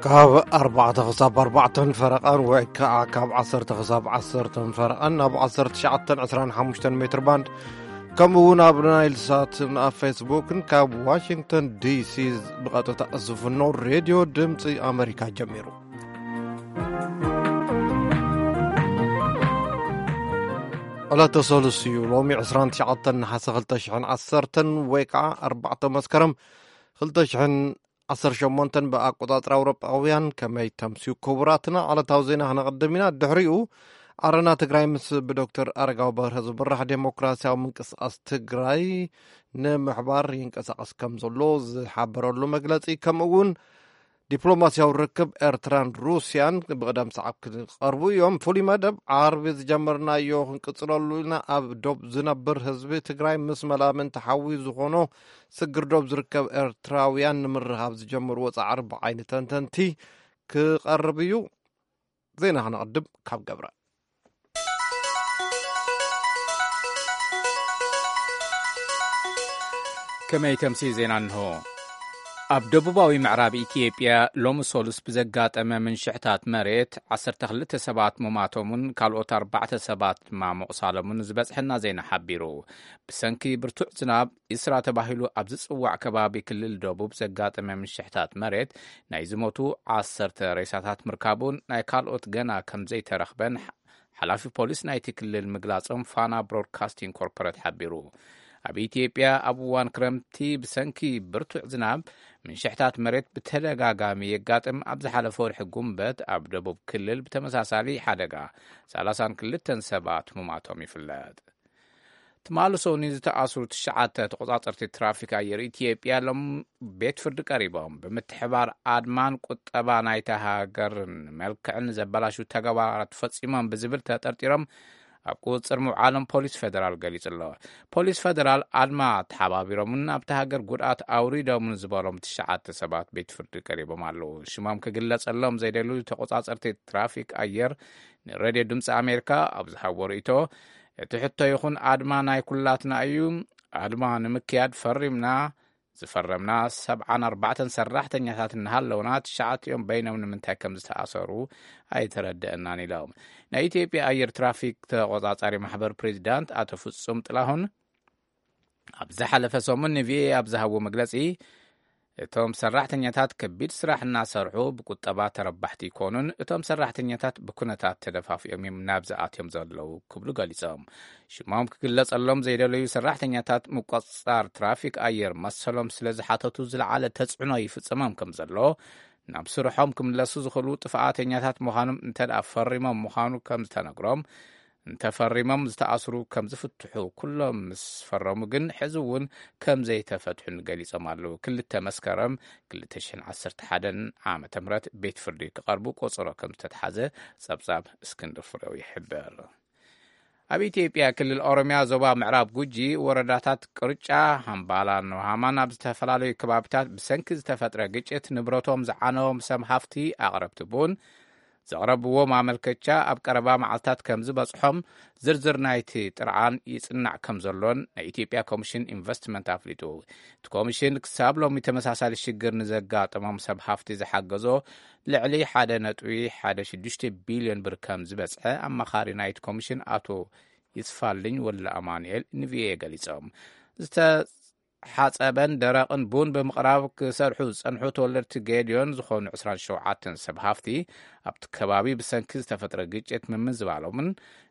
ካብ ኣርባዕተ ክሳብ ኣርባዕተን ፈረቓን ወይ ከዓ ካብ ዓሰርተ ክሳብ ዓሰርተን ፈረቓን ናብ ዓሰርተ ትሽዓተን ዕስራን ሓሙሽተን ሜትር ባንድ፣ ከምኡ እውን ኣብ ናይል ሳትን ኣብ ፌስቡክን ካብ ዋሽንግተን ዲሲ ብቐጥታ ዝፍኖ ሬድዮ ድምፂ ኣመሪካ ጀሚሩ። ዕለተ ሰሉስ እዩ። ሎሚ ዕስራን ትሽዓተን ነሓሰ ክልተ ሽሕን ዓሰርተን ወይ ከዓ ኣርባዕተ መስከረም ክልተ ሽሕን ዓሰርተ ሸሞንተን ብኣቆጻጽራ ኣውሮጳውያን። ከመይ ተምስዩ ክቡራትና? ዕለታዊ ዜና ክነቕድም ኢና። ድሕሪኡ ዓረና ትግራይ ምስ ብዶክተር ኣረጋዊ በርሀ ዝምራሕ ዴሞክራሲያዊ ምንቅስቃስ ትግራይ ንምሕባር ይንቀሳቐስ ከም ዘሎ ዝሓበረሉ መግለጺ፣ ከምኡ እውን ዲፕሎማሲያዊ ርክብ ኤርትራን ሩስያን ብቕደም ሰዓብ ክቐርቡ እዮም። ፍሉይ መደብ ዓርቢ ዝጀመርናዮ ክንቅጽለሉ ኢና። ኣብ ዶብ ዝነብር ህዝቢ ትግራይ ምስ መላምንቲ ሓዊ ዝኾኖ ስግር ዶብ ዝርከብ ኤርትራውያን ንምርኻብ ዝጀመርዎ ጻዕሪ ብዓይኒ ተንተንቲ ክቐርብ እዩ። ዜና ክነቕድም ካብ ገብረ። ከመይ ተምሲ ዜና እንሆ። ኣብ ደቡባዊ ምዕራብ ኢትዮጵያ ሎሚ ሶሉስ ብዘጋጠመ ምንሽሕታት መሬት ዓሰርተ ክልተ ሰባት ምማቶምን ካልኦት ኣርባዕተ ሰባት ድማ ምቑሳሎምን ዝበጽሐና ዜና ሓቢሩ። ብሰንኪ ብርቱዕ ዝናብ ኢስራ ተባሂሉ ኣብ ዝጽዋዕ ከባቢ ክልል ደቡብ ዘጋጠመ ምንሽሕታት መሬት ናይ ዝሞቱ ዓሰርተ ሬሳታት ምርካቡን ናይ ካልኦት ገና ከም ዘይተረኽበን ሓላፊ ፖሊስ ናይቲ ክልል ምግላጾም ፋና ብሮድካስቲንግ ኮርፖሬት ሓቢሩ። ኣብ ኢትዮጵያ ኣብ እዋን ክረምቲ ብሰንኪ ብርቱዕ ዝናብ ምንሽሕታት መሬት ብተደጋጋሚ የጋጥም። ኣብ ዝሓለፈ ወርሒ ጉንበት ኣብ ደቡብ ክልል ብተመሳሳሊ ሓደጋ ሰላሳን ክልተን ሰባት ምማቶም ይፍለጥ። ትማሊ ሰኑይ ዝተኣስሩ ትሽዓተ ተቆጻጸርቲ ትራፊክ ኣየር ኢትዮጵያ ሎም ቤት ፍርዲ ቀሪቦም። ብምትሕባር ኣድማን ቁጠባ ናይታ ሃገርን መልክዕን ዘበላሹ ተግባራት ፈጺሞም ብዝብል ተጠርጢሮም ኣብ ቁጽጽር ምውዓሎም ፖሊስ ፌደራል ገሊጹ ኣሎ። ፖሊስ ፌደራል ኣድማ ተሓባቢሮምን ኣብታ ሃገር ጉድኣት ኣውሪዶምን ዝበሎም ትሽዓተ ሰባት ቤት ፍርዲ ቀሪቦም ኣለዉ። ሽሞም ክግለጸሎም ዘይደልዩ ተቆጻጸርቲ ትራፊክ ኣየር ንሬድዮ ድምፂ ኣሜሪካ ኣብ ዝሃቦ ርእይቶ፣ እቲ ሕቶ ይኹን ኣድማ ናይ ኩላትና እዩ። ኣድማ ንምክያድ ፈሪምና፣ ዝፈረምና ሰብዓን ኣርባዕተን ሰራሕተኛታት እናሃለውና ትሽዓቲኦም በይኖም ንምንታይ ከም ዝተኣሰሩ ኣይተረድአናን ኢሎም። ናይ ኢትዮጵያ ኣየር ትራፊክ ተቆጻጻሪ ማሕበር ፕሬዚዳንት ኣቶ ፍጹም ጥላሁን ኣብ ዝሓለፈ ሰሙን ንቪኦኤ ኣብ ዝሃብዎ መግለጺ፣ እቶም ሰራሕተኛታት ከቢድ ስራሕ እናሰርሑ ብቁጠባ ተረባሕቲ ይኮኑን፣ እቶም ሰራሕተኛታት ብኩነታት ተደፋፊኦም እዮም ናብዚ ኣትዮም ዘለዉ ክብሉ ገሊጾም። ሽሞም ክግለጸሎም ዘይደለዩ ሰራሕተኛታት ምቆጽጻር ትራፊክ ኣየር መሰሎም ስለ ዝሓተቱ ዝለዓለ ተጽዕኖ ይፍጸሞም ከም ዘሎ፣ ናብ ስርሖም ክምለሱ ዝኽእሉ ጥፍኣተኛታት ምዃኖም እንተ ደኣ ፈሪሞም ምዃኑ ከም ዝተነግሮም፣ እንተፈሪሞም ዝተኣስሩ ከም ዝፍትሑ ኩሎም ምስ ፈረሙ ግን ሕዚ እውን ከም ዘይተፈትሑን ገሊጾም ኣለዉ። ክልተ መስከረም ክልተ ሽሕን ዓሰርተ ሓደን ዓመተ ምህረት ቤት ፍርዲ ክቐርቡ ቆጸሮ ከም ዝተትሓዘ ጸብጻብ እስክንድር ፍሬው ይሕብር። ኣብ ኢትዮጵያ ክልል ኦሮሚያ ዞባ ምዕራብ ጉጂ ወረዳታት ቅርጫ፣ ሃምባላን ኖሃማን ኣብ ዝተፈላለዩ ከባቢታት ብሰንኪ ዝተፈጥረ ግጭት ንብረቶም ዝዓነዎም ሰብ ሃፍቲ ኣቕረብቲ ቡን ዘቕረብዎ ማመልከቻ ኣብ ቀረባ መዓልታት ከም ዝበጽሖም ዝርዝር ናይቲ ጥርዓን ይጽናዕ ከም ዘሎን ናይ ኢትዮጵያ ኮሚሽን ኢንቨስትመንት ኣፍሊጡ። እቲ ኮሚሽን ክሳብ ሎሚ ተመሳሳሊ ሽግር ንዘጋጠሞም ሰብ ሃፍቲ ዝሓገዞ ልዕሊ ሓደ ነጥቢ ሓደ ሽዱሽተ ቢልዮን ብር ከም ዝበጽሐ ኣማኻሪ ናይቲ ኮሚሽን ኣቶ ይስፋልኝ ወልደ ኣማኑኤል ንቪኦኤ ገሊጾም። ዝተሓጸበን ደረቕን ቡን ብምቕራብ ክሰርሑ ዝጸንሑ ተወለድቲ ጌድዮን ዝኾኑ ዕስራን ሸውዓተን ሰብ ሃፍቲ ኣብቲ ከባቢ ብሰንኪ ዝተፈጥረ ግጭት ምምዝባሎምን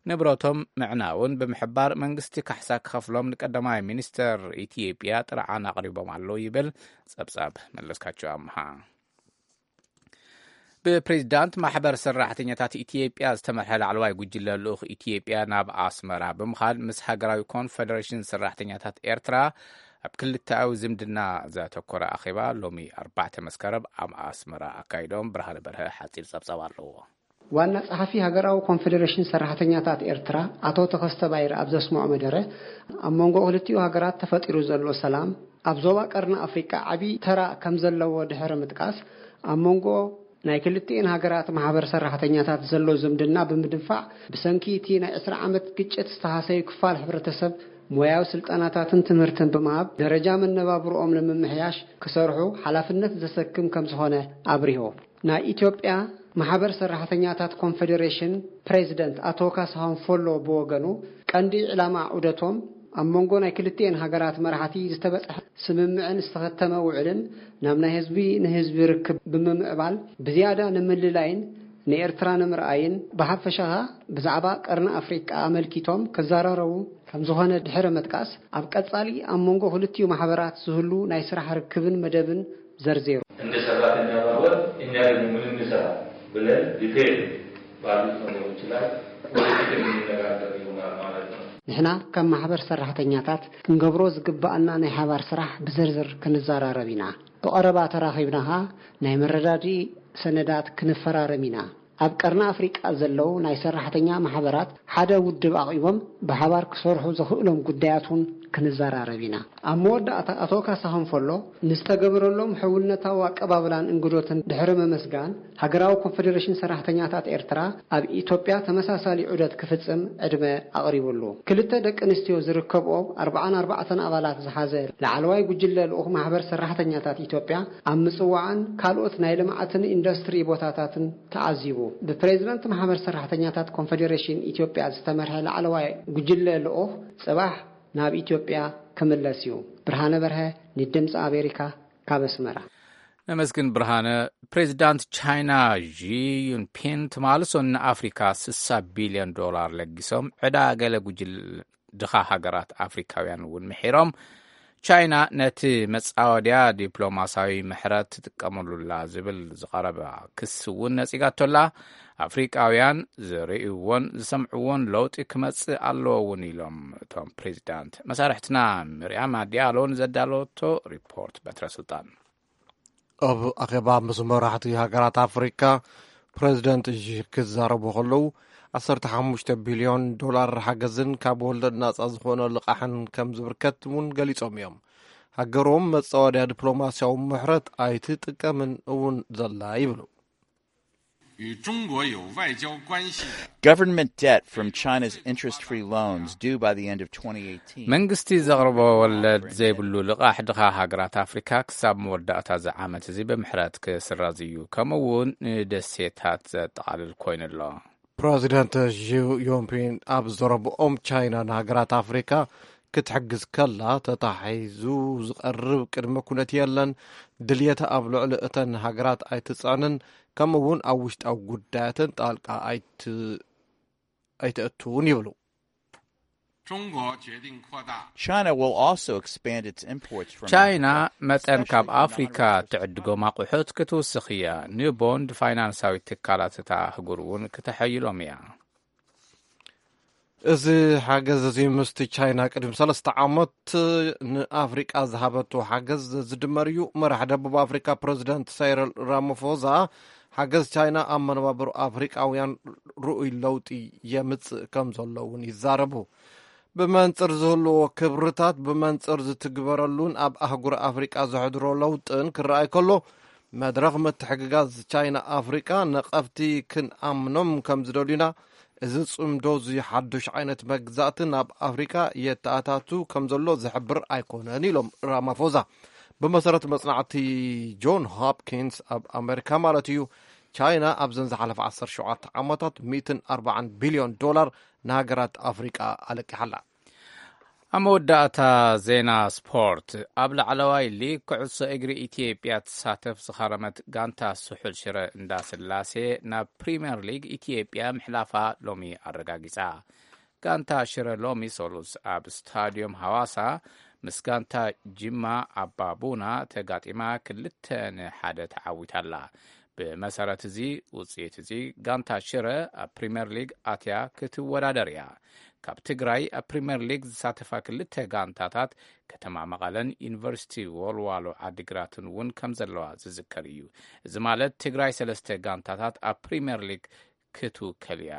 ንብረቶም ምዕናውን ብምሕባር መንግስቲ ካሕሳ ክኸፍሎም ንቀዳማይ ሚኒስተር ኢትዮጵያ ጥርዓን ኣቕሪቦም ኣለዉ ይብል ጸብጻብ መለስካቸው ኣምሃ። ብፕሬዚዳንት ማሕበር ሰራሕተኛታት ኢትዮጵያ ዝተመርሐ ላዕለዋይ ጉጅለ ልኡኽ ኢትዮጵያ ናብ ኣስመራ ብምኻድ ምስ ሃገራዊ ኮንፈደሬሽን ሰራሕተኛታት ኤርትራ ኣብ ክልተኣዊ ዝምድና ዘተኮረ ኣኼባ ሎሚ ኣርባዕተ መስከረም ኣብ ኣስመራ ኣካይዶም። ብርሃነ በርሀ ሓጺር ጸብጻብ ኣለዎ። ዋና ጸሓፊ ሃገራዊ ኮንፈደሬሽን ሰራሕተኛታት ኤርትራ ኣቶ ተኸስተ ባይረ ኣብ ዘስምዖ መደረ፣ ኣብ መንጎ ክልቲኡ ሃገራት ተፈጢሩ ዘሎ ሰላም ኣብ ዞባ ቀርኒ ኣፍሪቃ ዓቢ ተራ ከም ዘለዎ ድሕሪ ምጥቃስ፣ ኣብ መንጎ ናይ ክልቲኤን ሃገራት ማሕበር ሰራሕተኛታት ዘሎ ዝምድና ብምድንፋዕ፣ ብሰንኪ እቲ ናይ ዕስራ ዓመት ግጭት ዝተሃሰዩ ክፋል ሕብረተሰብ ሞያዊ ስልጠናታትን ትምህርትን ብምሃብ ደረጃ መነባብርኦም ንምምሕያሽ ክሰርሑ ሓላፍነት ዘሰክም ከም ዝኾነ ኣብሪሁ። ናይ ኢትዮጵያ ማሕበር ሰራሕተኛታት ኮንፌዴሬሽን ፕሬዚደንት ኣቶ ካሳሁን ፎሎ ብወገኑ፣ ቀንዲ ዕላማ ዑደቶም ኣብ መንጎ ናይ ክልቲኤን ሃገራት መራሕቲ ዝተበጽሐ ስምምዕን ዝተኸተመ ውዕልን ናብ ናይ ህዝቢ ንህዝቢ ርክብ ብምምዕባል ብዝያዳ ንምልላይን ንኤርትራ ንምርኣይን ብሓፈሻ ብዛዕባ ቀርኒ ኣፍሪቃ ኣመልኪቶም ክዘራረቡ ከም ዝኾነ ድሕሪ ምጥቃስ፣ ኣብ ቀጻሊ ኣብ መንጎ ክልቲኡ ማሕበራት ዝህሉ ናይ ስራሕ ርክብን መደብን ዘርዚሩ። እንደ ሰራተኛ ማህበር እኛ ደግሞ ምን እንሰራ ብለን ዲቴል ባሉት ነገሮች ላይ ወደፊት የምንነጋገር ይሆናል ማለት ነው። ንሕና ከም ማሕበር ሰራሕተኛታት ክንገብሮ ዝግባኣና ናይ ሓባር ስራሕ ብዝርዝር ክንዘራረብ ኢና። ብቐረባ ተራኺብና ኸኣ ናይ መረዳድኢ ሰነዳት ክንፈራረም ኢና። ኣብ ቀርኒ ኣፍሪቃ ዘለዉ ናይ ሰራሕተኛ ማሕበራት ሓደ ውድብ ኣቒቦም ብሓባር ክሰርሑ ዘኽእሎም ጉዳያት እውን ክንዘራረብ ኢና። ኣብ መወዳእታ ኣቶ ካሳሁን ፎሎ ንዝተገበረሎም ሕውነታዊ ኣቀባብላን እንግዶትን ድሕሪ ምምስጋን፣ ሃገራዊ ኮንፌዴሬሽን ሰራሕተኛታት ኤርትራ ኣብ ኢትዮጵያ ተመሳሳሊ ዑደት ክፍጽም ዕድመ ኣቕሪቡሉ። ክልተ ደቂ ኣንስትዮ ዝርከብኦ ኣርብዓን ኣርባዕተን ኣባላት ዝሓዘ ላዕለዋይ ጉጅለ ልኡኽ ማሕበር ሰራሕተኛታት ኢትዮጵያ ኣብ ምጽዋዕን ካልኦት ናይ ልምዓትን ኢንዱስትሪ ቦታታትን ተዓዚቡ። ብፕሬዝዳንት ማሕበር ሰራሕተኛታት ኮንፌዴሬሽን ኢትዮጵያ ዝተመርሐ ላዕለዋይ ጉጅለ ልኡኽ ጽባሕ ናብ ኢትዮጵያ ክምለስ እዩ። ብርሃነ በርሀ፣ ንድምፂ ኣሜሪካ፣ ካብ ኣስመራ። ነመስግን ብርሃነ። ፕሬዚዳንት ቻይና ዢ ዩንፒን ትማሊ ሰኑይ ንኣፍሪካ ስሳ ቢልዮን ዶላር ለጊሶም፣ ዕዳ ገለ ጉጅል ድኻ ሃገራት ኣፍሪካውያን እውን ምሒሮም። ቻይና ነቲ መጻወድያ ዲፕሎማሳዊ ምሕረት ትጥቀመሉላ ዝብል ዝቐረባ ክሲ እውን ነጺጋቶላ። ኣፍሪቃውያን ዝርእይዎን ዝሰምዕዎን ለውጢ ክመጽእ ኣለዎ እውን ኢሎም እቶም ፕሬዚዳንት። መሳርሕትና ምርያም ኣዲያሎ ንዘዳለወቶ ሪፖርት በትረ ስልጣን። ኣብ ኣኼባ ምስ መራሕቲ ሃገራት ኣፍሪካ ፕሬዚደንት ሺ ክዛረቡ ከለዉ፣ ዓሰርተ ሓሙሽተ ቢልዮን ዶላር ሓገዝን ካብ ወለድ ናጻ ዝኾነ ልቓሕን ከም ዝብርከት እውን ገሊጾም እዮም። ሃገሮም መጻወድያ ዲፕሎማስያዊ ምሕረት ኣይትጥቀምን እውን ዘላ ይብሉ። 与中国有外交关系的 Government debt from China's interest-free loans due by the end of twenty eighteen. መንግስቲ ዘቕርቦ ወለድ ዘይብሉ ልቓሕ ድኻ ሃገራት ኣፍሪካ ክሳብ መወዳእታ እዚ ዓመት እዚ ብምሕረት ክስረዝ እዩ። ከምኡ እውን ንደሴታት ዘጠቓልል ኮይኑ ኣሎ። ፕረዚደንት ዢ ዮንፒን ኣብ ዘረብኦም፣ ቻይና ንሃገራት ኣፍሪካ ክትሕግዝ ከላ ተታሒዙ ዝቐርብ ቅድመ ኩነት የለን፣ ድልየታ ኣብ ልዕሊ እተን ሃገራት ኣይትፅዕንን፣ ከምኡ እውን ኣብ ውሽጣዊ ጉዳያተን ጣልቃ ኣይት-፣ ኣይተእትውን ይብሉ። 中国决定扩大 China will also expand its imports from ቻይና Africa, መጠን ካብ especially አፍሪካ commodities such as ትዕድጎም ኣቑሑት ክትውስኽ እያ። ኒው ቦንድ ፋይናንሳዊ ትካላት እታ ኣህጉር እውን ክተሐይሎም እያ። እዚ ሓገዝ እዚ ምስቲ ቻይና ቅድሚ ሰለስተ ዓመት ንኣፍሪቃ ዝሃበቶ ሓገዝ ዝድመር እዩ። መራሕ ደቡብ ኣፍሪካ ፕረዚደንት ሳይረል ራማፎዛ፣ ሓገዝ ቻይና ኣብ መነባብሮ ኣፍሪቃውያን ርኡይ ለውጢ የምጽእ ከም ዘሎ እውን ይዛረቡ። ብመንጽር ዝህልዎ ክብርታት፣ ብመንጽር ዝትግበረሉን ኣብ ኣህጉር ኣፍሪቃ ዘሕድሮ ለውጥን ክረኣይ ከሎ፣ መድረኽ ምትሕግጋዝ ቻይና ኣፍሪቃ ነቐፍቲ ክንኣምኖም ከም ዝደልዩና፣ እዚ ጽምዶ እዚ ሓዱሽ ዓይነት መግዛእቲ ናብ ኣፍሪቃ የተኣታቱ ከም ዘሎ ዝሕብር ኣይኮነን ኢሎም ራማፎዛ። ብመሰረት መጽናዕቲ ጆን ሆፕኪንስ ኣብ ኣሜሪካ ማለት እዩ፣ ቻይና ኣብዘን ዝሓለፈ ዓሰርተ ሸውዓተ ዓመታት ሚእትን ኣርባዓን ቢልዮን ዶላር ንሃገራት ኣፍሪቃ ኣለቂሓላ። ኣብ መወዳእታ ዜና ስፖርት፣ ኣብ ላዕለዋይ ሊግ ኩዕሶ እግሪ ኢትዮጵያ ትሳተፍ ዝኸረመት ጋንታ ስሑል ሽረ እንዳስላሴ ናብ ፕሪምየር ሊግ ኢትዮጵያ ምሕላፋ ሎሚ ኣረጋጊጻ። ጋንታ ሽረ ሎሚ ሰሉስ ኣብ ስታድዮም ሃዋሳ ምስ ጋንታ ጅማ ኣባቡና ተጋጢማ ክልተ ንሓደ ተዓዊታላ። ብመሰረት እዚ ውጽኢት እዚ፣ ጋንታ ሽረ ኣብ ፕሪምየር ሊግ ኣትያ ክትወዳደር እያ። ካብ ትግራይ ኣብ ፕሪምየር ሊግ ዝሳተፋ ክልተ ጋንታታት፣ ከተማ መቐለን ዩኒቨርሲቲ ወልዋሎ ዓዲግራትን እውን ከም ዘለዋ ዝዝከር እዩ። እዚ ማለት፣ ትግራይ ሰለስተ ጋንታታት ኣብ ፕሪምየር ሊግ ክትውከል እያ።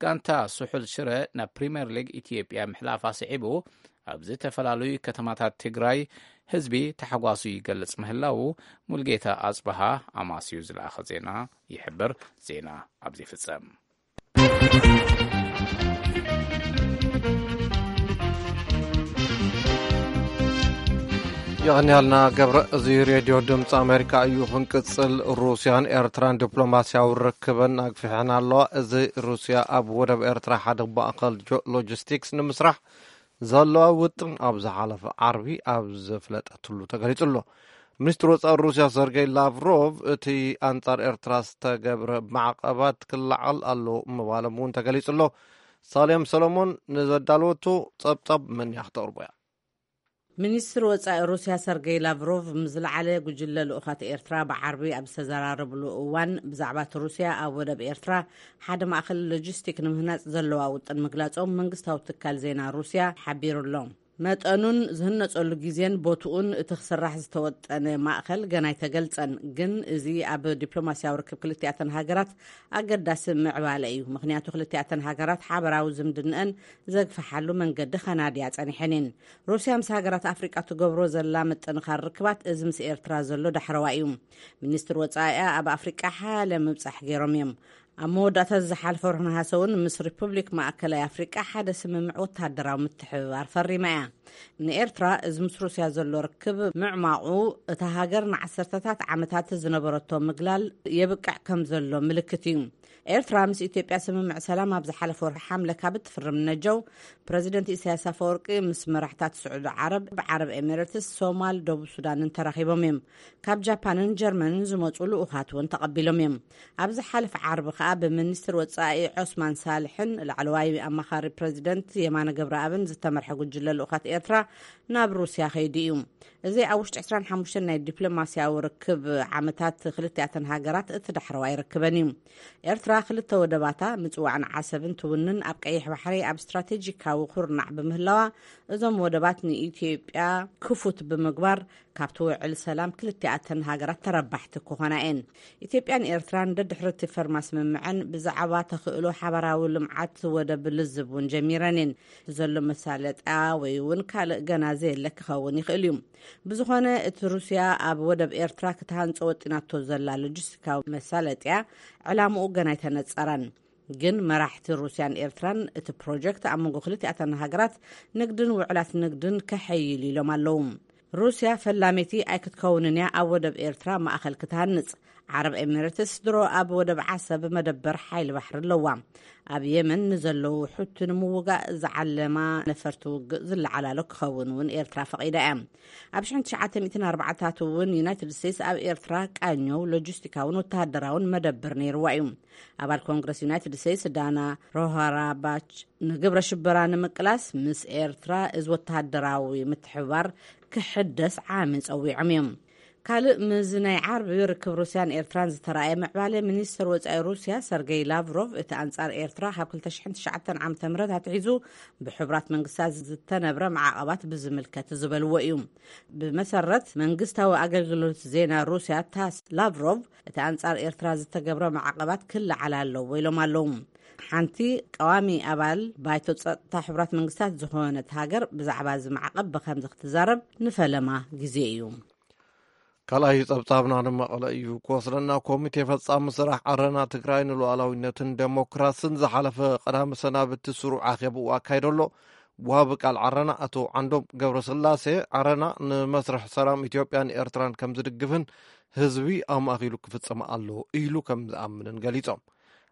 ጋንታ ስሑል ሽረ ናብ ፕሪምየር ሊግ ኢትዮጵያ ምሕላፋ ስዒቡ፣ ኣብ ዝተፈላለዩ ከተማታት ትግራይ ህዝቢ ታሕጓሱ ይገልጽ ምህላዉ ሙልጌታ ኣጽበሃ ኣማስዩ ዝለኣኸ ዜና ይሕብር። ዜና ኣብዚ ይፍጸም። የቐንያልና ገብረ። እዚ ሬድዮ ድምፂ ኣሜሪካ እዩ። ክንቅፅል፣ ሩስያን ኤርትራን ዲፕሎማስያዊ ርክበን ኣግፊሐን ኣለዋ። እዚ ሩስያ ኣብ ወደብ ኤርትራ ሓደ ማእኸል ጆ-፣ ሎጂስቲክስ ንምስራሕ ዘለዋ ውጥን ኣብ ዝሓለፈ ዓርቢ ኣብ ዘፍለጠትሉ ተገሊጹ ኣሎ። ሚኒስትር ወጻኢ ሩስያ ሰርጌይ ላቭሮቭ፣ እቲ ኣንጻር ኤርትራ ዝተገብረ ማዕቐባት ክለዓል ኣሎ ምባሎም እውን ተገሊጹ ኣሎ። ሳሌም ሰሎሞን ንዘዳለወቶ ጸብጻብ መን እያ ክተቕርቦ እያ። ሚኒስትር ወጻኢ ሩስያ ሰርጌይ ላቭሮቭ ምስ ዝለዓለ ጉጅለ ልኡኻት ኤርትራ ብዓርቢ ኣብ ዝተዘራረብሉ እዋን፣ ብዛዕባ እቲ ሩስያ ኣብ ወደብ ኤርትራ ሓደ ማእከል ሎጂስቲክ ንምህናጽ ዘለዋ ውጥን ምግላጾም መንግስታዊ ትካል ዜና ሩስያ ሓቢሩ ኣሎ። መጠኑን ዝህነጸሉ ግዜን ቦትኡን እቲ ክስራሕ ዝተወጠነ ማእከል ገና ኣይተገልጸን፣ ግን እዚ ኣብ ዲፕሎማስያዊ ርክብ ክልቲኣተን ሃገራት ኣገዳሲ ምዕባለ እዩ። ምኽንያቱ ክልቲኣተን ሃገራት ሓበራዊ ዝምድንአን ዘግፍሓሉ መንገዲ ከናድያ ጸኒሐን እየን። ሩስያ ምስ ሃገራት ኣፍሪቃ ትገብሮ ዘላ ምጥንኻር ርክባት እዚ ምስ ኤርትራ ዘሎ ዳሕረዋይ እዩ። ሚኒስትር ወጻኢኣ ኣብ ኣፍሪቃ ሓያለ ምብጻሕ ገይሮም እዮም። ኣብ መወዳእታ ዝሓለፈ ወርሒ ነሓሰ እውን ምስ ሪፑብሊክ ማእከላይ ኣፍሪቃ ሓደ ስምምዕ ወተሃደራዊ ምትሕብባር ፈሪማ እያ። ንኤርትራ እዚ ምስ ሩስያ ዘሎ ርክብ ምዕማቑ፣ እታ ሃገር ንዓሰርተታት ዓመታት ዝነበረቶ ምግላል የብቅዕ ከም ዘሎ ምልክት እዩ። ኤርትራ ምስ ኢትዮጵያ ስምምዕ ሰላም ኣብ ዝሓለፈ ወርሒ ሓምለ ካብ እትፍርም ነጀው፣ ፕረዚደንት ኢሳያስ ኣፈወርቂ ምስ መራሕታት ስዑዲ ዓረብ፣ ዓረብ ኤሚሬትስ፣ ሶማል፣ ደቡብ ሱዳንን ተራኺቦም እዮም። ካብ ጃፓንን ጀርመንን ዝመጹ ልኡኻት እውን ተቐቢሎም እዮም። ኣብ ዝሓለፈ ዓርቢ ከኣ ብሚኒስትር ወጻኢ ዖስማን ሳልሕን ላዕለዋይ ኣማኻሪ ፕረዚደንት የማነ ገብረኣብን ዝተመርሐ ጉጅለ ልኡኻት ኤርትራ ናብ ሩስያ ከይዱ እዩ። እዚ ኣብ ውሽጢ ዕስራን ሓሙሽተን ናይ ዲፕሎማስያዊ ርክብ ዓመታት ክልቲኣተን ሃገራት እቲ ዳሕረዋይ ርክበን እዩ። ኤርትራ ክልተ ወደባታ፣ ምጽዋዕን ዓሰብን ትውንን፣ ኣብ ቀይሕ ባሕሪ ኣብ ስትራቴጂካዊ ኩርናዕ ብምህላዋ፣ እዞም ወደባት ንኢትዮጵያ ክፉት ብምግባር፣ ካብቲ ውዕል ሰላም ክልቲኣተን ሃገራት ተረባሕቲ ክኾና እየን። ኢትዮጵያን ኤርትራን ደድሕሪ እቲ ፈርማ ስምምዐን ብዛዕባ ተኽእሎ ሓባራዊ ልምዓት ወደብ ልዝብ እውን ጀሚረን እየን። ዘሎ መሳለጥያ ወይ እውን ካልእ ገና ዘየለ ክኸውን ይኽእል እዩ። ብዝኾነ፣ እቲ ሩስያ ኣብ ወደብ ኤርትራ ክትሃንጾ ወጢናቶ ዘላ ሎጂስቲካዊ መሳለጥያ ዕላምኡ ገና ኣይተነጸረን። ግን መራሕቲ ሩስያን ኤርትራን እቲ ፕሮጀክት ኣብ መንጎ ክልቲኣተን ሃገራት ንግድን ውዕላት ንግድን ከሐይል ኢሎም ኣለዉ። ሩስያ ፈላመይቲ ኣይክትከውንን እያ ኣብ ወደብ ኤርትራ ማእኸል ክትሃንጽ። ዓረብ ኤሚሬትስ ድሮ ኣብ ወደብ ዓሰብ መደበር ሓይሊ ባሕሪ ኣለዋ። ኣብ የመን ንዘለዉ ሑቲ ንምውጋእ ዝዓለማ ነፈርቲ ውግእ ዝለዓላሎ ክኸውን እውን ኤርትራ ፈቒዳ እያ። ኣብ ሽሕን ትሽዓተ ሚእትን ኣርባዓታት እውን ዩናይትድ ስቴትስ ኣብ ኤርትራ ቃኘው ሎጂስቲካውን ወተሃደራውን መደበር ነይርዋ እዩ። ኣባል ኮንግረስ ዩናይትድ ስቴትስ ዳና ሮሃራባች ንግብረ ሽበራ ንምቅላስ ምስ ኤርትራ እዚ ወተሃደራዊ ምትሕብባር ክሕደስ ዓሚ ጸዊዖም እዮም። ካልእ፣ ምስዚ ናይ ዓርቢ ርክብ ሩስያን ኤርትራን ዝተራእየ ምዕባለ፣ ሚኒስትር ወጻኢ ሩስያ ሰርጌይ ላቭሮቭ፣ እቲ ኣንጻር ኤርትራ ካብ ክልተ ሽሕን ትሽዓተን ዓመተ ምህረት ኣትሒዙ ብሕቡራት መንግስታት ዝተነብረ ማዕቐባት ብዝምልከት ዝበልዎ እዩ። ብመሰረት መንግስታዊ ኣገልግሎት ዜና ሩስያ ታስ፣ ላቭሮቭ፣ እቲ ኣንጻር ኤርትራ ዝተገብረ ማዕቐባት ክለዓል ኣለዎ ኢሎም ኣለዉ። ሓንቲ ቀዋሚ ኣባል ባይቶ ጸጥታ ሕቡራት መንግስታት ዝኾነት ሃገር ብዛዕባ እዚ ማዕቐብ ብኸምዚ ክትዛረብ ንፈለማ ግዜ እዩ። ካልኣይ ጸብጻብና ንመቐለ እዩ ክወስደና። ኮሚቴ ፈጻሚ ስራሕ ዓረና ትግራይ ንሉዓላዊነትን ዴሞክራስን ዝሓለፈ ቀዳሚ ሰናብቲ ስሩዕ ኣኼባኡ ኣካይዶ ኣሎ። ወሃቢ ቃል ዓረና ኣቶ ዓንዶም ገብረስላሴ፣ ዓረና ንመስርሕ ሰላም ኢትዮጵያን ኤርትራን ከም ዝድግፍን ህዝቢ ኣማእኪሉ ክፍጽም ኣለዎ ኢሉ ከም ዝኣምንን ገሊጾም።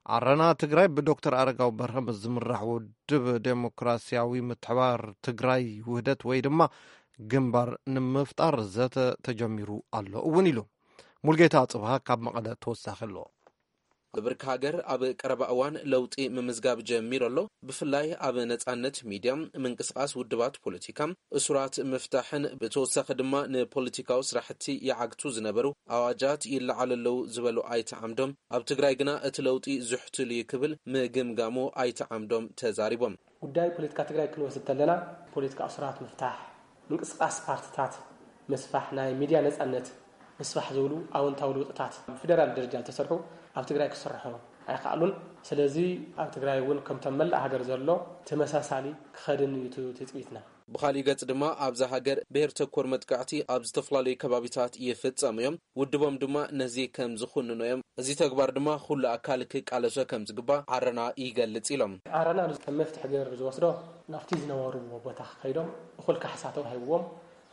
ዓረና ትግራይ ብዶክተር ኣረጋዊ በርሀ ምስ ዝምራሕ ውድብ ዴሞክራሲያዊ ምትሕባር ትግራይ ውህደት ወይ ድማ ግንባር ንምፍጣር ዘተ ተጀሚሩ ኣሎ እውን ኢሉ። ሙልጌታ ጽብሃ ካብ መቐለ ተወሳኺ ኣሎ። ብብርኪ ሃገር ኣብ ቀረባ እዋን ለውጢ ምምዝጋብ ጀሚሩ ኣሎ። ብፍላይ ኣብ ነጻነት ሚድያ፣ ምንቅስቓስ ውድባት ፖለቲካ፣ እሱራት ምፍታሕን ብተወሳኺ ድማ ንፖለቲካዊ ስራሕቲ ይዓግቱ ዝነበሩ ኣዋጃት ይለዓሉ ኣለዉ ዝበሉ ኣይተ ዓምዶም፣ ኣብ ትግራይ ግና እቲ ለውጢ ዝሕቱል እዩ ክብል ምግምጋሙ ኣይተ ዓምዶም ተዛሪቦም። ጉዳይ ፖለቲካ ትግራይ ክንወስድ ተለና፣ ፖለቲካ እሱራት ምፍታሕ፣ ምንቅስቃስ ፓርትታት ምስፋሕ፣ ናይ ሚድያ ነጻነት ምስፋሕ ዝብሉ ኣወንታዊ ለውጥታት ብፌደራል ደረጃ ዝተሰርሑ ኣብ ትግራይ ክስርሑ ኣይከኣሉን። ስለዚ ኣብ ትግራይ እውን ከምቶም መላእ ሃገር ዘሎ ተመሳሳሊ ክኸድን እዩ እቲ ትጽቢትና። ብኻሊእ ገጽ ድማ ኣብዛ ሃገር ብሄር ተኮር መጥቃዕቲ ኣብ ዝተፈላለዩ ከባቢታት ይፍጸሙ እዮም። ውድቦም ድማ ነዚ ከም ዝኹንኖ እዮም። እዚ ተግባር ድማ ኩሉ ኣካል ክቃለሶ ከም ዝግባእ ዓረና ይገልጽ ኢሎም። ዓረና ከም መፍትሒ ገይሩ ዝወስዶ ናብቲ ዝነበርዎ ቦታ ከይዶም እኹል ካሕሳ ተዋሂብዎም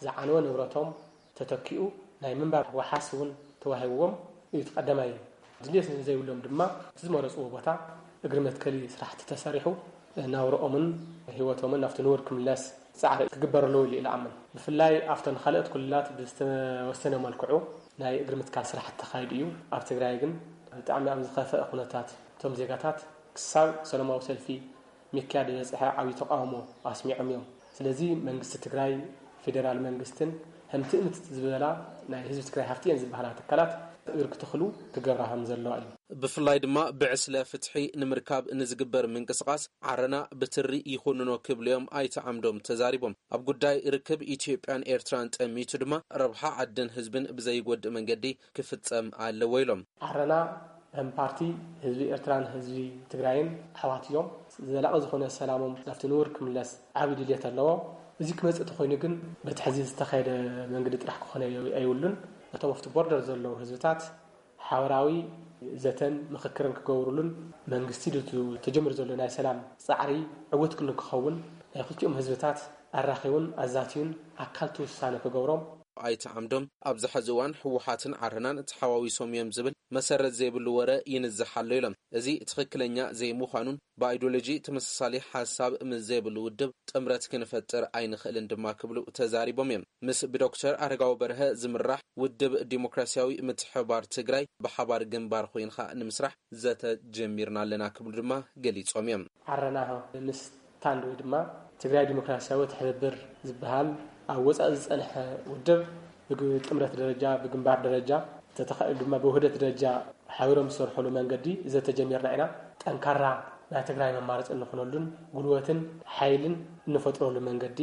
ዝዓነወ ንብረቶም ተተኪኡ ናይ ምንባር ዋሓስ እውን ተዋሂብዎም እዩ። እቲ ቀዳማይ ድልየት ንዘይብሎም ድማ እቲ ዝመረፅዎ ቦታ እግሪ መትከሊ ስራሕቲ ተሰሪሑ ናብረኦምን ህይወቶምን ናብቲ ንቡር ክምለስ ፃዕሪ ክግበር ኣለዎ ኢሉ ይኣምን። ብፍላይ ኣብተን ካልኦት ክልላት ብዝተወሰነ መልክዑ ናይ እግሪ ምትካል ስራሕቲ ተኻይዱ እዩ። ኣብ ትግራይ ግን ብጣዕሚ ኣብ ዝኸፈአ ኩነታት እቶም ዜጋታት ክሳብ ሰላማዊ ሰልፊ ምክያድ ዝበፅሐ ዓብዪ ተቃውሞ ኣስሚዖም እዮም። ስለዚ መንግስቲ ትግራይ፣ ፌዴራል መንግስትን ከምቲ እምት ዝበላ ናይ ህዝቢ ትግራይ ሃፍቲ እየን ዝበሃላ ትካላት እግሪ ክትኽሉ ክገብራ ከም ዘለዋ እዩ። ብፍላይ ድማ ብዕስለ ፍትሒ ንምርካብ ንዝግበር ምንቅስቃስ ዓረና ብትሪ ይኹንኖ ክብሉ እዮም ኣይተ ዓምዶም ተዛሪቦም። ኣብ ጉዳይ ርክብ ኢትዮጵያን ኤርትራን ጠሚቱ ድማ ረብሓ ዓድን ህዝብን ብዘይጎድእ መንገዲ ክፍጸም ኣለዎ ኢሎም። ዓረና ከም ፓርቲ ህዝቢ ኤርትራን ህዝቢ ትግራይን ኣሕዋት እዮም። ዘላቒ ዝኾነ ሰላሞም ናብቲ ንቡር ክምለስ ዓብዪ ድልየት ኣለዎ። እዚ ክመፅእ ተኾይኑ ግን በቲ ሕዚ ዝተኻየደ መንገዲ ጥራሕ ክኾነ ኣይብሉን። እቶም ኣብቲ ቦርደር ዘለዉ ህዝብታት ሓበራዊ ዘተን ምኽክርን ክገብሩሉን መንግስቲ ድቱ ተጀሚሩ ዘሎ ናይ ሰላም ፃዕሪ ዕውት ክንክኸውን ናይ ክልቲኦም ህዝብታት ኣራኺቡን ኣዛትዩን ኣካል እቲ ውሳነ ክገብሮም ኣይተ ዓምዶም ኣብዚ ሕዚ እዋን ህወሓትን ዓረናን ተሓዋዊሶም እዮም ዝብል መሰረት ዘይብሉ ወረ ይንዝሕ ኣሎ ኢሎም። እዚ ትኽክለኛ ዘይምዃኑን ብኣይዲዮሎጂ ተመሳሳሊ ሓሳብ ምስ ዘይብሉ ውድብ ጥምረት ክንፈጥር ኣይንኽእልን ድማ ክብሉ ተዛሪቦም እዮም። ምስ ብዶክተር ኣረጋዊ በርሀ ዝምራሕ ውድብ ዲሞክራሲያዊ ምትሕብባር ትግራይ ብሓባር ግንባር ኮይንካ ንምስራሕ ዘተ ጀሚርና ኣለና ክብሉ ድማ ገሊጾም እዮም። ዓረና ምስ ታንድ ወይ ድማ ትግራይ ዲሞክራሲያዊ ትሕብብር ዝበሃል ኣብ ወፃኢ ዝፀንሐ ውድብ ብጥምረት ደረጃ ብግንባር ደረጃ ተተኻኢሉ ድማ ብውህደት ደረጃ ሓቢሮም ዝሰርሑሉ መንገዲ ዘተጀሚርና ኢና። ጠንካራ ናይ ትግራይ መማረፂ እንኾነሉን ጉልበትን ሓይልን እንፈጥረሉ መንገዲ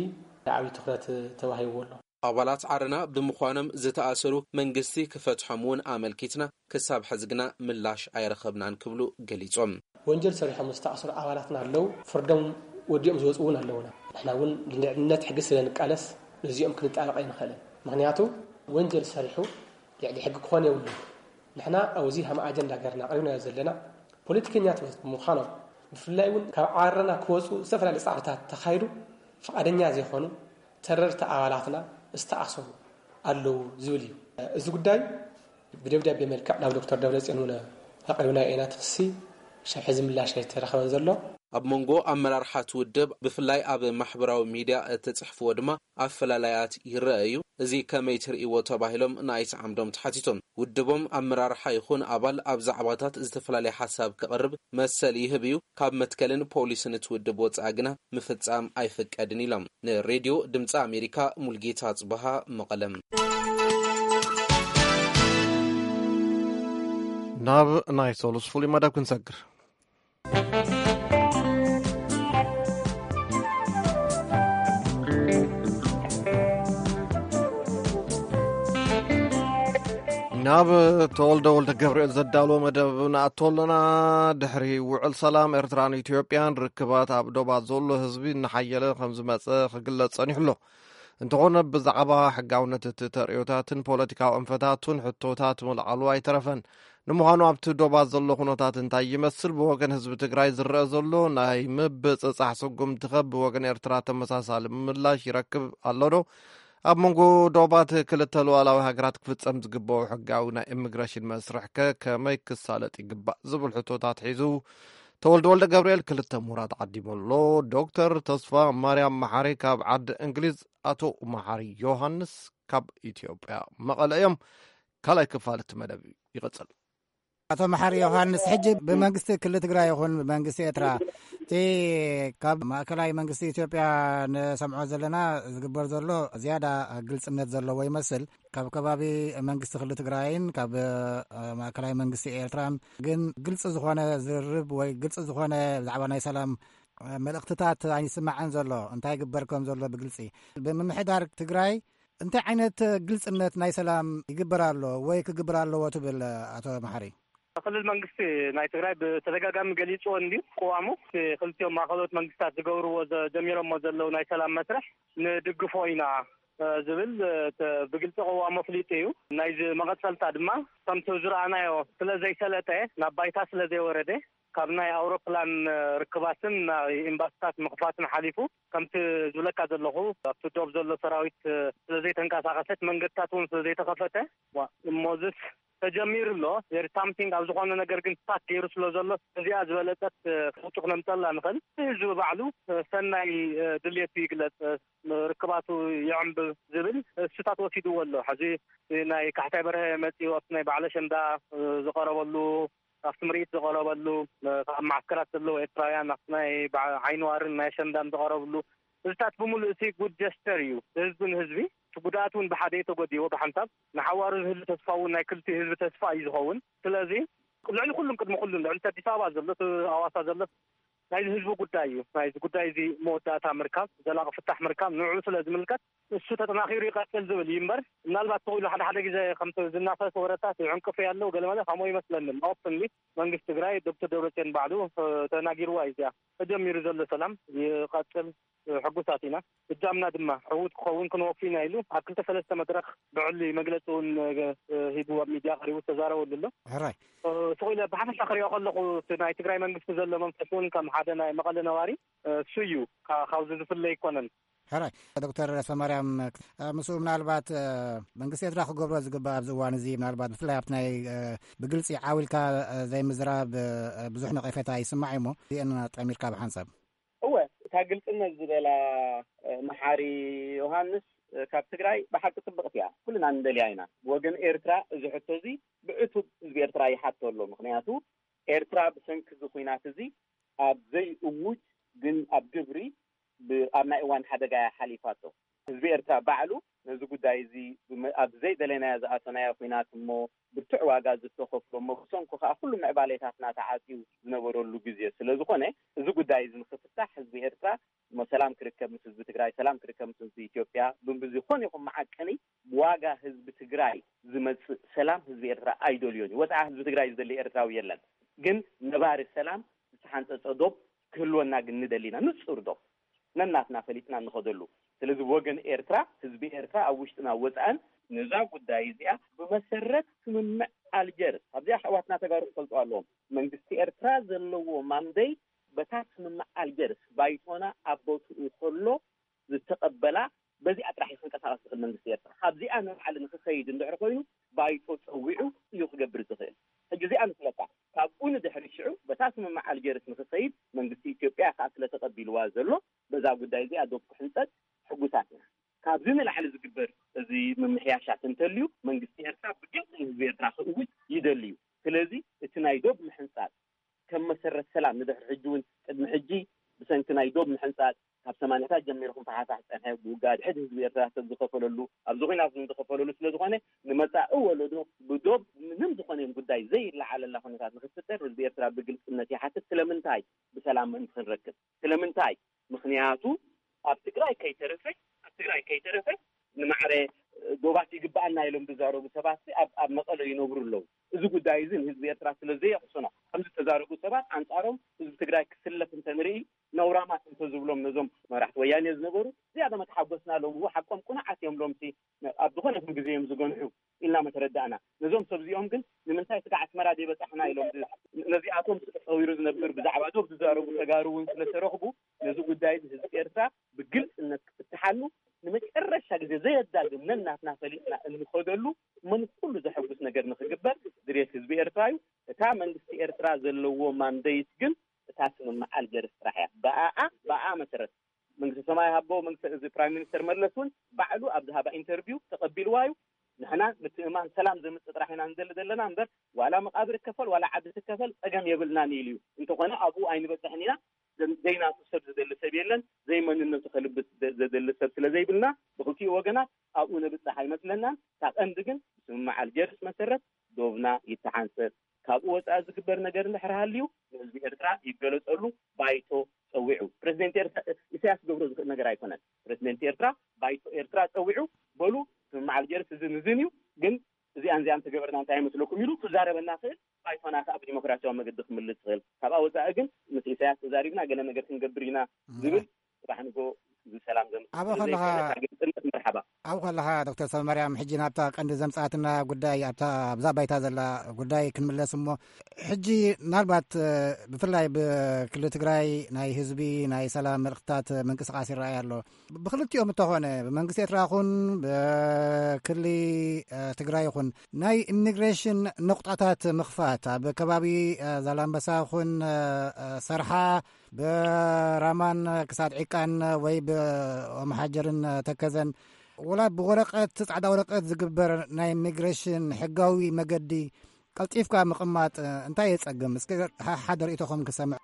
ዓብዪ ትኩረት ተዋሂብዎ ኣሎ። ኣባላት ዓረና ብምዃኖም ዝተኣሰሩ መንግስቲ ክፈትሖም እውን ኣመልኪትና ክሳብ ሕዚ ግና ምላሽ ኣይረኸብናን ክብሉ ገሊጾም። ወንጀል ሰሪሖም ዝተኣሰሩ ኣባላትና ኣለዉ፣ ፍርዶም ወዲኦም ዝወፁ እውን ኣለዉና። ንሕና እውን ልዕልነት ሕጊ ስለ ንቃለስ ነዚኦም ክንጣበቕ ኣይንኽእልን። ምኽንያቱ ወንጀል ሰሪሑ ልዕሊ ሕጊ ክኾን የብሉን። ንሕና ኣብዚ ሃም ኣጀንዳ ገርና ቀሪብናዮ ዘለና ፖለቲከኛታት ብምዃኖም ብፍላይ እውን ካብ ዓረና ክወፁ ዝተፈላለዩ ፃዕርታት ተኻይዱ ፍቓደኛ ዘይኮኑ ተረርቲ ኣባላትና ዝተኣሰሩ ኣለዉ ዝብል እዩ። እዚ ጉዳይ ብደብዳቤ መልክዕ ናብ ዶክተር ደብረፅዮን እውን ኣቕሪብናዮ ኢና። እቲ ክሲ ክሳብ ሕዚ ምላሽ ኣይተረኸበን ዘሎ። ኣብ መንጎ ኣመራርሓ እቲ ውድብ ብፍላይ ኣብ ማሕበራዊ ሚድያ እተፅሕፍዎ ድማ ኣፈላላያት ይረአ እዩ። እዚ ከመይ ትርእይዎ ተባሂሎም ንኣይተ ዓምዶም ተሓቲቶም። ውድቦም ኣመራርሓ ይኹን ኣባል ኣብ ዛዕባታት ዝተፈላለየ ሓሳብ ክቕርብ መሰል ይህብ እዩ። ካብ መትከልን ፖሊስን እቲ ውድብ ወፃኢ ግና ምፍፃም ኣይፍቀድን ኢሎም። ንሬድዮ ድምፂ ኣሜሪካ ሙልጌታ ኣፅበሃ መቐለም። ናብ ናይ ሰሉስ ፍሉይ መደብ ክንሰግር። ናብ ተወልደ ወልደ ገብርኤል ዘዳለወ መደብ ንኣቶ ኣለና። ድሕሪ ውዕል ሰላም ኤርትራን ኢትዮጵያን ርክባት ኣብ ዶባት ዘሎ ህዝቢ እናሓየለ ከም ዝመጸ ክግለጽ ጸኒሑ ኣሎ። እንተኾነ ብዛዕባ ሕጋውነት እቲ ተርእዮታትን ፖለቲካዊ ኣንፈታቱን ሕቶታት ምልዓሉ ኣይተረፈን። ንምዃኑ ኣብቲ ዶባት ዘሎ ኩነታት እንታይ ይመስል? ብወገን ህዝቢ ትግራይ ዝረአ ዘሎ ናይ ምብጽጻሕ ስጉምቲ ከ ብወገን ኤርትራ ተመሳሳሊ ምላሽ ይረክብ ኣሎ ዶ? ኣብ መንጎ ዶባት ክልተ ሉዓላዊ ሃገራት ክፍጸም ዝግብኦ ሕጋዊ ናይ ኢሚግሬሽን መስርሕ ከ ከመይ ክሳለጥ ይግባእ? ዝብል ሕቶታት ሒዙ ተወልደ ወልደ ገብርኤል ክልተ ምሁራት ዓዲሙ ኣሎ። ዶክተር ተስፋ ማርያም መሓሪ ካብ ዓዲ እንግሊዝ፣ ኣቶ መሓሪ ዮሃንስ ካብ ኢትዮጵያ መቐለ እዮም። ካልኣይ ክፋል እቲ መደብ ይቕጽል። ኣቶ መሓሪ ዮሃንስ፣ ሕጂ ብመንግስቲ ክልል ትግራይ ይኹን ብመንግስቲ ኤርትራ እቲ ካብ ማእከላይ መንግስቲ ኢትዮጵያ ንሰምዖ ዘለና ዝግበር ዘሎ ዝያዳ ግልጽነት ዘለዎ ይመስል። ካብ ከባቢ መንግስቲ ክልል ትግራይን ካብ፣ እ፣ ማእከላይ መንግስቲ ኤርትራን ግን ግልጺ ዝኾነ ዝርርብ ወይ ግልጺ ዝኾነ ብዛዕባ ናይ ሰላም፣ እ፣ መልእኽትታት ኣይስማዕን ዘሎ። እንታይ ይግበር ከም ዘሎ ብግልጺ ብምምሕዳር ትግራይ እንታይ ዓይነት ግልጽነት ናይ ሰላም ይግበር ኣሎ ወይ ክግበር ኣለዎ ትብል ኣቶ መሓሪ? ክልል መንግስቲ ናይ ትግራይ ብተደጋጋሚ ገሊጽዎ እንድዩ ቅዋሙ። እቲ ክልቲኦም ማእኸሎት መንግስታት ዝገብርዎ ዘ-፣ ጀሚሮሞ ዘለዉ ናይ ሰላም መስርሕ ንድግፎ ኢና፣ እ፣ ዝብል፣ እ፣ ተ-፣ ብግልጺ ቅዋሙ ኣፍሊጡ እዩ። ናይዚ መቐጸልታ ድማ ከምቲ ዝረኣናዮ ስለ ዘይሰለጠ፣ ናብ ባይታ ስለ ዘይወረደ፣ ካብ ናይ ኣውሮፕላን ርክባትን ናይ ኤምባሲታት ምኽፋትን ሓሊፉ፣ ከምቲ ዝብለካ ዘለኹ፣ ኣብቲ ዶብ ዘሎ ሰራዊት ስለ ዘይተንቀሳቐሰት፣ መንገድታት እውን ስለ ዘይተኸፈተ፣ ዋ፣ እሞዝስ ተጀሚሩ ኣሎ። There is something ኣብ ዝኾነ ነገር ግን ስታክ ገይሩ ስለ ዘሎ፣ እዚኣ ዝበለጸት ለውጢ ክነምጸላ ንኽእል። ህዝቢ ባዕሉ ሰናይ ድልየቱ ይግለጽ፣ ርክባቱ ይዕንብብ ዝብል እሱታት ወሲድዎ ኣሎ። ሕዚ ናይ ካሕሳይ በርሀ መጺኡ ኣብቲ ናይ በዓል ኣሸንዳ ዝቐረበሉ፣ ኣብቲ ምርኢት ዝቐረበሉ፣ ኣብ መዓስከራት ዘለዉ ኤርትራውያን ኣብቲ ናይ በዓ-፣ ዓይኒ ዋርን ናይ ኣሸንዳን ዝቐረብሉ፣ እዚታት ብምሉእ እቲ ጉድ ጀስተር እዩ። ህዝቢ ንህዝቢ፣ እቲ ጉድኣት እውን ብሓደ እዩ ተጎዲዎ ብሓንሳብ። ንሓዋሩ ዝህሉ ተስፋ እውን ናይ ክልቲኡ ህዝቢ ተስፋ እዩ ዝኸውን። ስለዚ ልዕሊ ኩሉም ቅድሚ ኩሉም ልዕሊ እቲ ኣዲስ ኣበባ ዘሎ፣ እቲ ኣዋሳ ዘሎ ናይዚ ህዝቢ ጉዳይ እዩ። ናይዚ ጉዳይ እዚ መወዳእታ ምርካብ፣ ዘላቒ ፍታሕ ምርካብ ንዕኡ ስለ ዝምልከት እሱ ተጠናኺሩ ይቐጽል ዝብል እዩ እምበር፣ ምናልባት ተኽኢሉ ሓደ ሓደ ግዜ ከምቲ ዝናፈስ ወረታት ይዕንቅፉ ያለው ገለመለ ከምኡ ይመስለኒ። ኦፕንሊ መንግስቲ ትግራይ ዶክተር ደብረጽዮን ባዕሉ ተናጊርዋ እዩ። እዚኣ ተጀሚሩ ዘሎ ሰላም ይቐጽል፣ ሕጉሳት ኢና። እጃምና ድማ ዕዉት ክኸውን ክንወፉ ኢና ኢሉ ኣብ ክልተ ሰለስተ መድረኽ ብዕሊ መግለፂ እውን ሂቡ ኣብ ሚድያ ቀሪቡ ዝተዛረበሉ ኣሎ። ሕራይ። ስቕ ኢለ ብሓፈሻ ክሪኦ ከለኹ እቲ ናይ ትግራይ መንግስቲ ዘሎ መንፈስ እውን ከም ሓደ ናይ መቐለ ነባሪ እሱ እዩ። ካ-፣ ካብዚ ዝፍለ ኣይኮነን። ሕራይ። ዶክተር ሰማርያም፣ ምስኡ ምናልባት መንግስቲ ኤርትራ ክገብሮ ዝግባእ ኣብዚ እዋን እዚ ምናልባት ብፍላይ ኣብቲ ናይ ብግልፂ ዓው ኢልካ ዘይምዝራብ ብዙሕ ነቐፌታ ይስማዕ እዩ እሞ እዚአን ጠሚርካ ብሓንሳብ። እወ፣ እታ ግልጽነት ዝበላ መሓሪ ዮሃንስ ካብ ትግራይ ብሓቂ ጽብቕቲ እያ። ኩልና ንደልያ ኢና። ወገን ኤርትራ እዚ ሕቶ እዚ ብዕቱብ ህዝቢ ኤርትራ ይሓቶ ኣሎ። ምኽንያቱ ኤርትራ ብሰንኪ እዚ ኹናት እዚ ኣብ ዘይእውጅ ግን ኣብ ግብሪ ብ-፣ ኣብ ናይ እዋን ሓደጋ እያ ሓሊፋቶ። ህዝቢ ኤርትራ ባዕሉ ነዚ ጉዳይ እዚ ብመ-፣ ኣብ ዘይደለናዮ ዝኣተናዮ ኹናት እሞ ብርቱዕ ዋጋ ዝተኸፍሎ እሞ ብሰንኩ ከኣ ኩሉ ምዕባሌታትና ተዓጽዩ ዝነበረሉ ግዜ ስለ ዝኾነ፣ እዚ ጉዳይ እዚ ንኽፍታሕ ህዝቢ ኤርትራ እሞ ሰላም ክርከብ ምስ ህዝቢ ትግራይ፣ ሰላም ክርከብ ምስ ህዝቢ ኢትዮጵያ፣ ብዝኾነ ይኹን መዓቀኒ ብዋጋ ህዝቢ ትግራይ ዝመጽእ ሰላም ህዝቢ ኤርትራ ኣይደልዮን እዩ። ወጽዓ ህዝቢ ትግራይ ዝደሊ ኤርትራዊ የለን። ግን ነባሪ ሰላም ዝተሓንጸጸ ዶብ ክህልወና ግን ንደሊ ኢና። ንጹር ዶብ ነናትና ፈሊጥና እንኸደሉ። ስለዚ ወገን ኤርትራ፣ ህዝቢ ኤርትራ ኣብ ውሽጥና ወጻእን ነዛ ጉዳይ እዚኣ ብመሰረት ስምምዕ ኣልጀርስ፣ ኣብዚኣ ኣሕዋትና ተጋሩ ክፈልጡ ኣለዎም። መንግስቲ ኤርትራ ዘለዎ ማንደይ በታ ስምምዕ ኣልጀርስ ባይቶና ኣብ ቦትኡ ከሎ ዝተቐበላ፣ በዚኣ ጥራሕ እዩ ክንቀሳቐስ ዝኽእል መንግስቲ ኤርትራ። ካብዚኣ ንላዕሊ ንክኸይድ እንድሕር ኮይኑ ባይቶ ጸዊዑ እዩ ክገብር ዝኽእል። ሕጂ እዚኣ ንፍለጣ። ካብኡ ንድሕሪ ሽዑ በታ ስምምዕ ኣልጀርስ ንክኸይድ መንግስቲ ኢትዮጵያ ከዓ ስለ ተቐቢልዋ ዘሎ በዛ ጉዳይ እዚኣ ዶብ ክሕንጸጥ ሕጉሳት ኢና። ካብዚ ንላዕሊ ዝግበር እዚ ምምሕያሻት እንተልዩ መንግስቲ ኤርትራ ብግልፂ ንህዝቢ ኤርትራ ክእውጅ ይደሊ እዩ። ስለዚ እቲ ናይ ዶብ ምሕንጻጥ ከም መሰረት ሰላም ንድሕሪ ሕጂ እውን ቅድሚ ሕጂ ብሰንኪ ናይ ዶብ ምሕንጻጥ ካብ ሰማንያታት ጀሚሩ ክንፈሓፋሕ ዝጸንሐ ብውግእ ኣድሕድ ህዝቢ ኤርትራ ሰብ ዝኸፈለሉ ኣብዚ ኹናት እውን ዝኸፈለሉ ስለ ዝኾነ ንመጻኢ ወለዶ ብዶብ ምንም ዝኾነ ጉዳይ ዘይለዓለላ ኩነታት ንክፍጠር ህዝቢ ኤርትራ ብግልጽነት ይሓትት። ስለምንታይ ብሰላም ምእንቲ ክንረክብ ስለምንታይ? ምኽንያቱ ኣብ ትግራይ ከይተረፈ ኣብ ትግራይ ከይተረፈ ንማዕረ ዶባት ይግባኣና ኢሎም ዝዛረቡ ሰባት ኣብ ኣብ መቐለ ይነብሩ ኣለዉ። እዚ ጉዳይ እዚ ንህዝቢ ኤርትራ ስለ ዘየቕስኖ ከም ዝተዛረቡ ሰባት ኣንጻሮም ህዝቢ ትግራይ ክስለፍ እንተንርኢ ነውራማት እንተዝብሎም ነዞም መራሕቲ ወያኔ ዝነበሩ ዝያዳ መተሓጎስና ሎም እዎ ሓቆም ቁኑዓት እዮም ሎምሲ ኣብ ዝኾነ ይኹን ግዜ እዮም ዝገንሑ ኢልና መተረዳእና። ነዞም ሰብ እዚኦም ግን ንምንታይ ስጋዕ ኣስመራ ዘይበጻሕና ኢሎም ዝ-፣ ነዚኣቶም ተጸዊሩ ዝነብር ብዛዕባ ዶብ ዝዛረቡ ተጋሩ እውን ስለተረኽቡ ነዚ ጉዳይ እዚ ህዝቢ ኤርትራ ብግልጽነት ክፍትሓሉ ንመጨረሻ ግዜ ዘየዳግም ነናትና ፈሊጥና እንኸደሉ መን ኩሉ ዘሐጉስ ነገር ንኽግበር ድሌት ህዝቢ ኤርትራ እዩ። እታ መንግስቲ ኤርትራ ዘለዎ ማንደይት ግን እታ ስምምዕ ኣልጀርስ ጥራሕ እያ። ብኣኣ ብኣኣ መሰረት መንግስቲ ሰማይ ሃቦ መንግስቲ እዚ ፕራይም ሚኒስተር መለስ እውን ባዕሉ ኣብ ዝሃባ ኢንተርቪው ተቐቢልዋ እዩ። ንሕና ምትእማን ሰላም ዘምፅእ ጥራሕ ኢና ንደሊ ዘለና እምበር ዋላ መቃብር ይከፈል ዋላ ዓዲ ትከፈል ፀገም የብልናን ኢሉ እዩ። እንተኾነ ኣብኡ ኣይንበፅሕን ኢና። ዘ-፣ ዘይናቱ ሰብ ዝደሊ ሰብ የለን። ዘይመንነቱ ከልብስ ዘ-፣ ዘደሊ ሰብ ስለ ዘይብልና ብክልቲኡ ወገናት ኣብኡ ነብፅሕ ኣይመስለናን። እታ ቀንዲ ግን ብስምምዕ ኣልጀርስ መሰረት ዶብና ይተሓንሰብ። ካብኡ ወፃኢ ዝግበር ነገር እንድሕር ሃልዩ ንህዝቢ ኤርትራ ይገለፀሉ። ባይቶ ፀዊዑ ፕረዚደንት ኤርትራ ኢሳያስ ክገብሮ ዝኽእል ነገር ኣይኮነን። ፕረዚደንት ኤርትራ ባይቶ ኤርትራ ፀዊዑ በሉ ስምምዕ ኣልጀርስ እዝን እዝን እዩ፣ ግን እዚኣን እዚኣን ተገበርና እንታይ ይመስለኩም ኢሉ ክዛረበና ክእል። ባይቶና ከዓ ብዲሞክራሲያዊ መገዲ ክምልስ ይኽእል። ካብኣ ወፃኢ ግን ምስ ኢሳያስ ተዛሪብና ገለ ነገር ክንገብር ኢና ዝብል ጽባሕ ንጎ እዚ ሰላም ዘምጽእ ኣበ ከለኻ፣ መርሓባ። ኣብኡ ከለኻ ዶክተር ሰብኣማርያም፣ ሕጂ ናብታ ቀንዲ ዘምጽኣትና ጉዳይ፣ ኣብታ ኣብዛ ባይታ ዘላ ጉዳይ ክንምለስ እሞ፣ ሕጂ ምናልባት ብፍላይ ብክልል ትግራይ ናይ ህዝቢ ናይ ሰላም መልእኽትታት ምንቅስቃስ ይረኣይ ኣሎ። ብክልቲኦም እንተኾነ፣ ብመንግስቲ ኤርትራ ይኹን ብክሊ ትግራይ ይኹን፣ ናይ ኢሚግሬሽን ነቑጣታት ምኽፋት ኣብ ከባቢ ዛላምበሳ ይኹን ሰርሓ፣ ብራማን ክሳድ ዒቃን ወይ ብኦምሓጀርን ተከዘን፣ ወላ ብወረቀት፣ ጻዕዳ ወረቀት ዝግበር ናይ ኢሚግሬሽን ሕጋዊ መገዲ ቀልጢፍካ ምቕማጥ እንታይ የጸግም? እስኪ ሓ-፣ ሓደ ርእይቶኹም ክሰምዕ።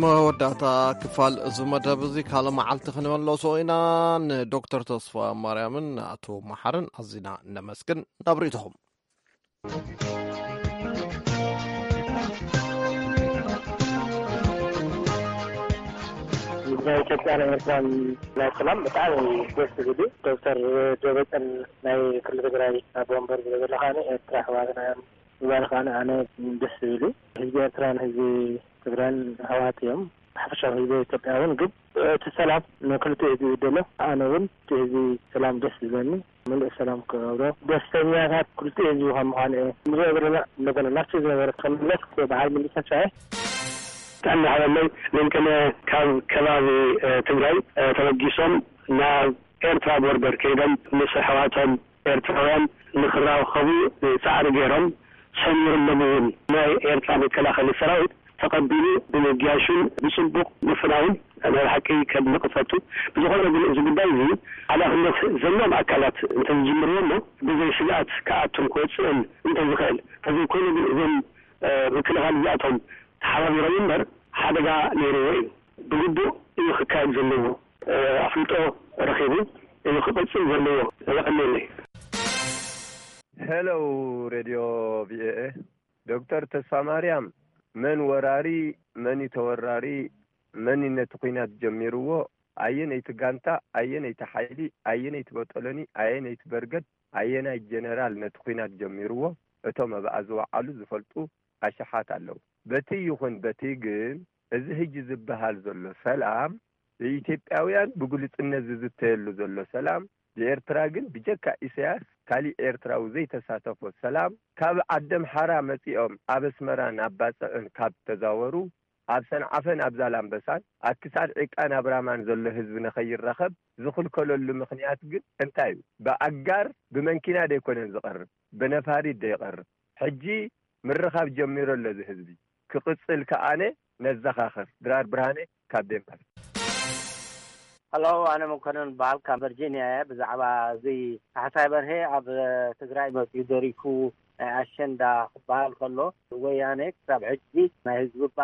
መወዳእታ ክፋል እዚ መደብ እዚ ካልእ መዓልቲ ክንመለሶ ኢና። ንዶክተር ተስፋ ማርያምን ንኣቶ መሓርን ኣዚና ነመስግን። ናብ ርእይቶኹም። ናይ ኢትዮጵያ ናይ ኤርትራን ናይ ሰላም ብጣዕሚ ደስ ዝብል እዩ። ዶክተር ደብረፅዮን ናይ ክልል ትግራይ ኣቦ ወንበር ዝብል ዘሎ ከዓኒ ኤርትራ ኣሕዋትና እዮም ምባል ከዓኒ ኣነ ደስ ዝብል እዩ። ህዝቢ ኤርትራን ህዝቢ ትግራይን ኣሕዋት እዮም። ሓፈሻዊ ህዝቢ ኢትዮጵያ እውን ግን እቲ ሰላም ንክልቲኡ ህዝቢ ይደሎ። ኣነ እውን እቲ ህዝቢ ሰላም ደስ ዝብለኒ፣ ምሉእ ሰላም ክገብሮ ደስተኛታት ክልቲኡ ህዝቢ ከም ምዃኑ እየ። ንሪኦ ዘለና እንደገና ናብቲ ዝነበረ ክምለስ በዓል ሙሉእ ተስፋ እየ። ጥዕና ሃበለይ። መንቀለ ካብ ከባቢ፣ እ፣ ትግራይ፣ እ፣ ተበጊሶም ናብ ኤርትራ ቦርደር ከይዶም ምስ ኣሕዋቶም ኤርትራውያን ንክራኸቡ ጻዕሪ ገይሮም፣ ሰሚሮም እውን ናይ ኤርትራ መከላኸሊ ሰራዊት ተቐቢሉ ብምግያሹን ብጽቡቕ ምፍናውን ናይ ብሓቂ ከድንቕ እፈቱ። ብዝኾነ ግን እዚ ጉዳይ እዚ ሓላፍነት ዘለዎም ኣካላት እንተዝጅምርዎ እሞ ብዘይ ስግኣት ክኣቱን ክወጽእን እንተዝኽእል፣ ተዘይኮይኑ ግን እዞም፣ እ፣ ምክልኻል እዚኣቶም ተሓባቢሮም እምበር ሓደጋ ነይርዎ እዩ። ብግቡእ እዩ ክካየድ ዘለዎ። እ፣ ኣፍልጦ ረኺቡ እዩ ክቕጽል ዘለዎ። የቐንየለይ። ሄሎ ሬድዮ ቪኦኤ፣ ዶክተር ተስፋ ማርያም፣ መን ወራሪ፣ መን እዩ ተወራሪ፣ መን እዩ ነቲ ኲናት ጀሚርዎ፣ ኣየነይቲ ጋንታ፣ ኣየነይቲ ሓይሊ፣ ኣየነይቲ ቦጦሎኒ፣ ኣየነይቲ በርገድ፣ ኣየናይ ጀነራል ነቲ ኲናት ጀሚርዎ፣ እቶም ኣብኣ ዝወዓሉ ዝፈልጡ ኣሽሓት ኣለዉ። በቲ ይኹን በቲ ግን፣ እዚ ሕጂ ዝበሃል ዘሎ ሰላም፣ ብኢትዮጵያውያን ብግሉጽነት ዝዝተየሉ ዘሎ ሰላም፣ ብኤርትራ ግን ብጀካ ኢሳያስ ካሊእ ኤርትራዊ ዘይተሳተፎ ሰላም፣ ካብ ዓደምሓራ መጺኦም ኣብ ኣስመራን ኣብ ባጽዕን ካብ ተዛወሩ፣ ኣብ ሰንዓፈን ኣብ ዛላምበሳን ኣብ ክሳድ ዒቃን ኣብ ራማን ዘሎ ህዝቢ ንኸይራኸብ ዝኽልከለሉ ምኽንያት ግን እንታይ እዩ? ብኣጋር ብመንኪና ደይኮነን ዝቐርብ፣ ብነፋሪት ደይቐርብ። ሕጂ ምርኻብ ጀሚሩ ኣሎ እዚ ህዝቢ። ክቕጽል ከኣነ ነዘኻኽር። ድራር ብርሃነ ካብ ዴንማርክ። ሃሎ፣ ኣነ መኮነን በሃል ካብ ቨርጂኒያ እየ። ብዛዕባ እዚ ካሕሳይ በርሄ ኣብ ትግራይ መጺኡ ደሪፉ ናይ ኣሸንዳ ክበሃል ከሎ፣ ወያኔ ክሳብ ሕጂ ናይ ህዝቢ እባ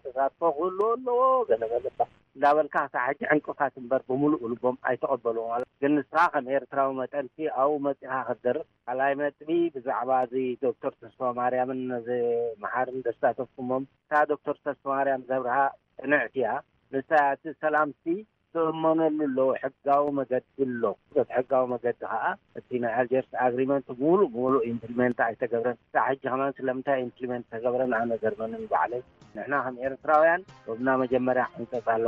ተሳትፎ ክህልዎ ኣለዎ፣ ገለ ገለ እባ እንዳበልካ ክሳብ ሕጂ ዕንቅፋት እምበር ብምሉእ ልቦም ኣይተቐበልዎ ማለት። ግን ንስኻ ከም ኤርትራዊ መጠንሲ ኣብኡ መጺኻ ክትደርፍ። ካልኣይ ነጥቢ ብዛዕባ እዚ ዶክተር ተስፋ ማርያምን ነዚ መሓርን ዘሳተፍኩሞም፣ እታ ዶክተር ተስፋ ማርያም ዘብርሃ ቅንዕቲ እያ። ንሳ እቲ ሰላምሲ ትእመነሉ ኣለዎ፣ ሕጋዊ መገዲ ኣሎ። በቲ ሕጋዊ መገዲ ኸዓ እቲ ናይ ኣልጀርስ ኣግሪመንት ብምሉእ ብምሉእ ኢምፕሊመንት ኣይተገብረን። ክሳዕ ሕጂ ከማን ስለምንታይ ኢምፕሊመንት ተገብረን ኣነ ገርመንን ባዕለይ። ንሕና ከም ኤርትራውያን ዶብና መጀመርያ ሕንጸጽ ኣሎ።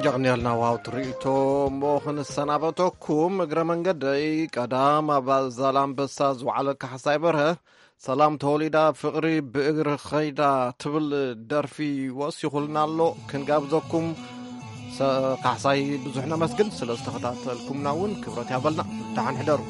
ጀቕንያልና ዋው ትርኢቶ። እሞ ክንሰናበተኩም እግረ መንገደይ ቀዳም ኣብ ዛላምበሳ ዝወዓለ ካሕሳይ በርሀ ሰላም ተወሊዳ ፍቕሪ ብእግሪ ኸይዳ ትብል ደርፊ ወሲኹልና ኣሎ። ክንጋብዘኩም ሰ-፣ ካሕሳይ ብዙሕ ነመስግን። ስለ ዝተኸታተልኩምና እውን ክብረት ያበልና። ደሓን ሕደሩ።